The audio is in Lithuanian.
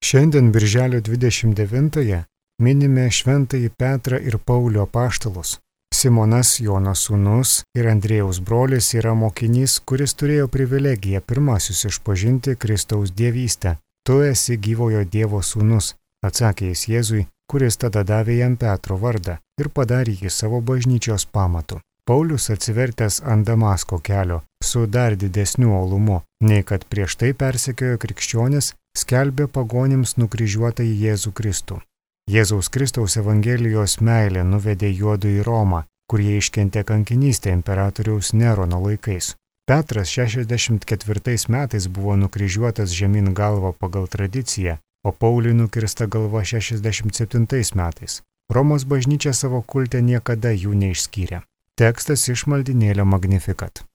Šiandien birželio 29-ąją minime šventąjį Petrą ir Paulių apaštalus. Simonas, Jono sūnus ir Andriejaus brolis yra mokinys, kuris turėjo privilegiją pirmasis išpažinti Kristaus dievystę. Tu esi gyvojo Dievo sūnus, atsakė jis Jėzui, kuris tada davė jam Petro vardą ir padarė jį savo bažnyčios pamatu. Paulius atsivertęs ant Damasko kelio su dar didesniu uolumu, nei kad prieš tai persekiojo krikščionis, skelbė pagonims nukryžiuotąjį Jėzų Kristų. Jėzaus Kristaus Evangelijos meilė nuvedė juodu į Romą, kur jie iškentė kankinystę imperatoriaus Nerono laikais. Petras 64 metais buvo nukryžiuotas žemyn galva pagal tradiciją, o Pauliui nukirsta galva 67 metais. Romos bažnyčia savo kulte niekada jų neišskyrė. Tekstas iš maldynėlio Magnificat.